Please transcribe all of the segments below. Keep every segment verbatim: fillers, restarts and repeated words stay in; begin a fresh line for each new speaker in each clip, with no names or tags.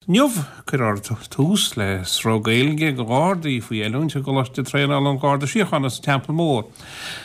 Inniu cuirfear tús le sruth Gaeilge do Ghardaí faoi oiliúint i gColáiste Traenála an Gharda Síochána sa Teampall Mór.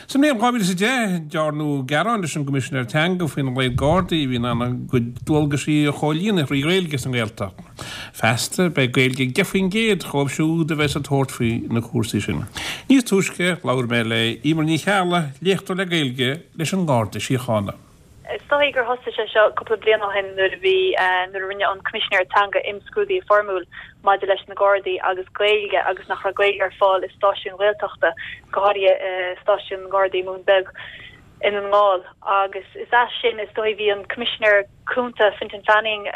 Sa mbliain dhá mhíle is a deich, dearnadh gearán leis an gCoimisinéir Teanga faoina laghad Gardaí a bhí in ann a gcuid dualgaisí a chomhlíonadh thrí Ghaeilge sa nGaeltacht. Feasta, beidh Gaeilge ag deich faoin gcéad dhóibh siúd a bheas ag tabhairt faoi na cúrsaí sin. Níos túisce, labhair mé le Emer Ní Cheallaigh, léachtóir le Gaeilge leis an nGarda Síochána.
Is dóigh gur thosaigh sé seo cúpla bliain ó shin nuair a bhí nuair a rinne an Coimisinéir Teanga imscrúdú foirmiúil maidir leis na Gardaí agus Gaeilge agus nach raibh Gaeilge ar fáil i stáisiúin Ghaeltachta, go háirithe stáisiún na nGardaí i mBun Beag i nDún na nGall. Agus is as sin is dóigh bhí an Coimisinéir Cúnta Fintan Fanning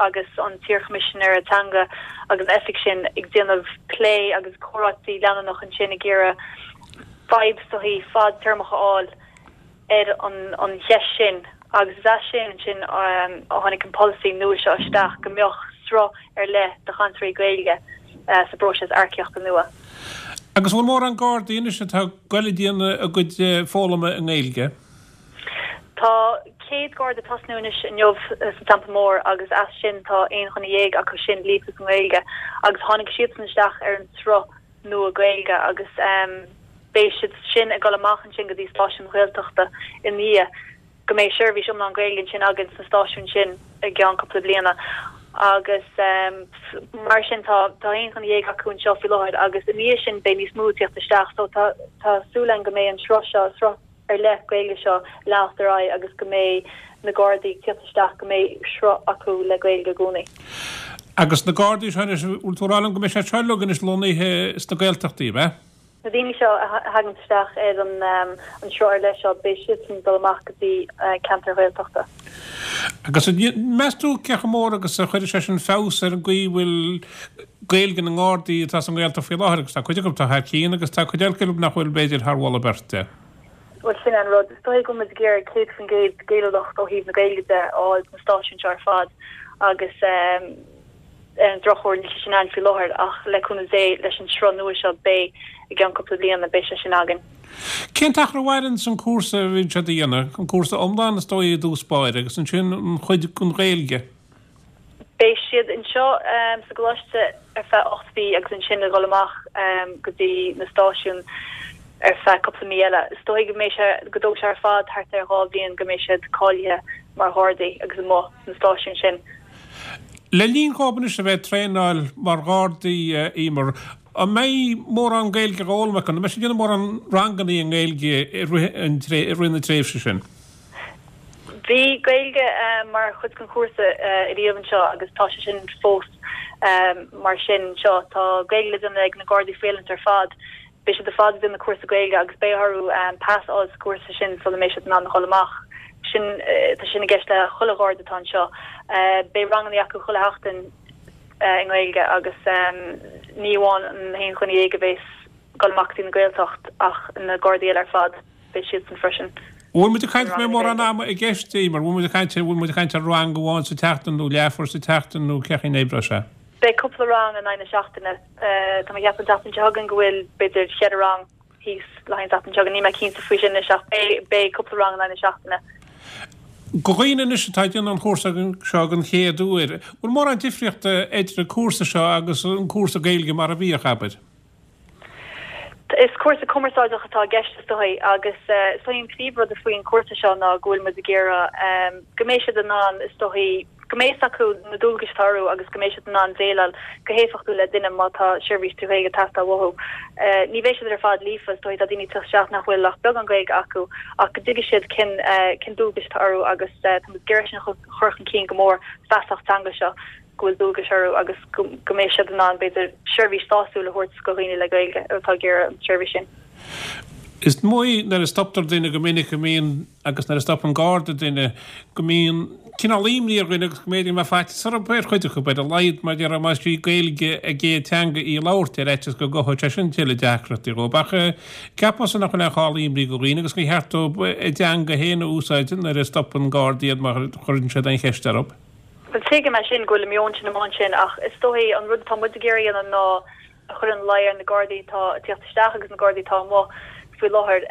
agus an t-iarChoimisinéir Teanga agus an oifig sin ag déanamh plé agus comhráití leanúnach ansin ag iarraidh fadhb is dóigh fadtéarmach a fháil ar an cheist sin agus is as sin ansin a tháinig an polasaí nua seo isteach go mbeadh sruth ar leith de chainteoirí Gaeilge sa bpróiseas earcaíochta nua.
Agus bhfuil mórán Gardaí anois atá ag goil ag déanamh a gcuid foghlama i nGaeilge?
Tá céad Garda ag tosnú anois inniu sa Teampall Mór agus as sin tá aon dhuine dhéag acu sin líofa sa nGaeilge agus tháinig siadsan isteach ar an sruth nua Gaeilge agus beidh siad sin ag dul amach ansin go dtí stáisiúin Ghaeltachta i ndiaidh go mbeidh seirbhís iomlán Gaeilge ansin againn sna stáisiúin sin i gceann cúpla bliana agus mar sin tá tá aon dhuine dhéag acu anseo faoi láthair agus i ndiaidh sin beidh níos mó ag tíocht isteach so tá tá súil againn go mbeidh an sruth seo sruth ar leith Gaeilge seo ag leanacht ar aghaidh agus go mbeidh na Gardaí ag tíocht isteach go mbeidh sruth acu le Gaeilge i gcónaí.
Agus na Gardaí seo anois, bhfuil tú ag rá liom go mbeidh siad seo uilig anois lonnaithe sna Gaeltachtaí, ab ea?
Na daoine seo a thagann isteach ar an an sruth ar leith seo, beidh siadsan ag dul amach go dtí ceantair Ghaeltachta.
Agus meas tú cé chomh mór agus a chuirfidh sé sin feabhas ar an gcaoi a bhfuil Gaeilge na nGardaí atá sa nGaeltacht faoi láthair, agus tá cuid acu atá thar cionn agus tá cuid eile acu nach bhfuil b'fhéidir thar mholadh beirte.
Bhuel, sin é an rud. Is dóigh go bhfuil muid ag iarraidh céad faoin gcéad Gaelúlacht ó thaobh na Gaeilge de a fháil sna stáisiúin seo ar fad agus ar an drochuair níl sé sin ann faoi láthair ach le cúnamh Dé leis an sruth nua seo beidh i gceann cúpla bliana beidh sé sin againn.
Cén t-achar a mhaireann an cúrsa a bhíonn siad a dhéanamh? An cúrsa iomlán is dóigh i dtús báire agus ansin an chuid den Ghaeilge?
Beidh siad anseo sa gcoláiste ar feadh ocht mhí agus ansin ag dul amach go dtí na stáisiúin ar feadh cúpla mí eile. Is dóigh go mbeidh sé, go dtógfaidh sé ar fad thart ar dhá bhliain go mbeidh siad cáilithe mar Ghardaí agus amuigh sna stáisiúin sin.
Le linn dhóibh anois a bheith ag traenáil mar Ghardaí, a Emer, an mbeidh mórán Gaeilge á fhoghlaim acu? An mbeidh siad ag déanamh mórán ranganna i nGaeilge i rith na tréimhse sin?
Bhí Gaeilge mar chuid den chúrsa ariamh anseo agus tá sé sin fós mar sin anseo. Tá Gaeilge le déanamh ag na Gardaí faoi oiliúint ar fad. Beidh siad ar fad ag déanamh cúrsa Gaeilge agus beidh orthu pas a fháil sa chúrsa sin sula mbeidh siad in ann a dhul amach. Sin, tá sin i gceist le chuile Gharda atá anseo. Beidh ranganna acu chuile sheachtain i nGaeilge agus ní amháin an haon dhuine dhéag a bheas ag dul amach go dtí na Gaeltacht ach na Gardaí eile ar fad. Beidh siadsan freisin.
Bhfuil muid ag caint go mbeidh mórán ama i gceist, Emer? Bhfuil muid ag caint, bhfuil muid ag caint ar rang amháin sa tseachtain nó leathuair sa tseachtain nó cén chaoi a n-oibreoidh sé?
Beidh cúpla rang in aghaidh na seachtaine. Tá mé ag ceapadh an tseachtain seo chugainn go bhfuil b'fhéidir cheithre rang thíos le haghaidh an tseachtain seo chugainn. Níl mé cinnte faoi sin anois ach beidh, beidh cúpla rang in aghaidh na seachtaine.
Do dhaoine anois atá ag déanamh an chúrsa seo den chéad uair, bhfuil mórán difríochta idir an cúrsa seo agus an cúrsa Gaeilge mar a bhíodh, abair?
Is cúrsa cumarsáideach atá i gceist is dóigh agus is dóigh an príomhrud faoin chúrsa seo ná go bhfuil muid ag iarraidh go mbeidh siad in ann is dóigh go mbeidh fhios acu na dualgais atá orthu agus go mbeidh siad in ann déileáil go héifeachtúil le duine má tá seirbhís trí Ghaeilge ag teastáil uathu. Ní bheidh siad ar fad líofa, is dóigh tá daoine ag teacht isteach nach bhfuil ach beagán Gaeilge acu ach go dtuigfidh siad cén cén dualgais atá orthu agus tá muid ag iarraidh sin a chur chun cinn go mór, feasacht teanga seo. go bhfuil dualgais orthu agus go mbeidh siad in ann, b'fhéidir, seirbhís sásúil a thabhairt do dhaoine le Gaeilge atá ag iarraidh an tseirbhís sin.
Is dóigh nuair a stoptar duine go minic go mbíonn, agus nuair a stopann Garda duine, go mbíonn cineál imní ar dhuine agus go mb'fhéidir go mbeadh faitíos orthu, ar chuid acu, ar a laghad, mar déarfá más í Gaeilge a gcéad teanga í a labhairt ar fhaitíos go gcothódh sé sin tuilleadh deacrachtaí dhóibh. Ach ceapaimse nach bhfuil aon chall imní do dhaoine agus gur cheart dóibh a dteanga féin a úsáid nuair a stopann Garda iad má chuireann siad aon cheist orthu.
Bhuel, tuigim é sin, go bhfuil an meon sin amuigh ansin, ach is dóigh an rud atá muid ag iarraidh a dhéanamh ná a chur ina luí ar na Gardaí atá ag tíocht isteach agus na Gardaí atá amuigh faoi láthair,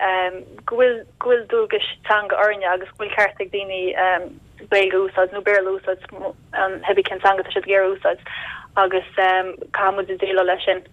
go bhfuil, go bhfuil dualgais teanga orainne agus go bhfuil ceart ag daoine Gaeilge a úsáid nó Béarla a úsáid an hebí cén teanga siad ag iarraidh úsáid agus um, caithfidh muid déileáil leis sin.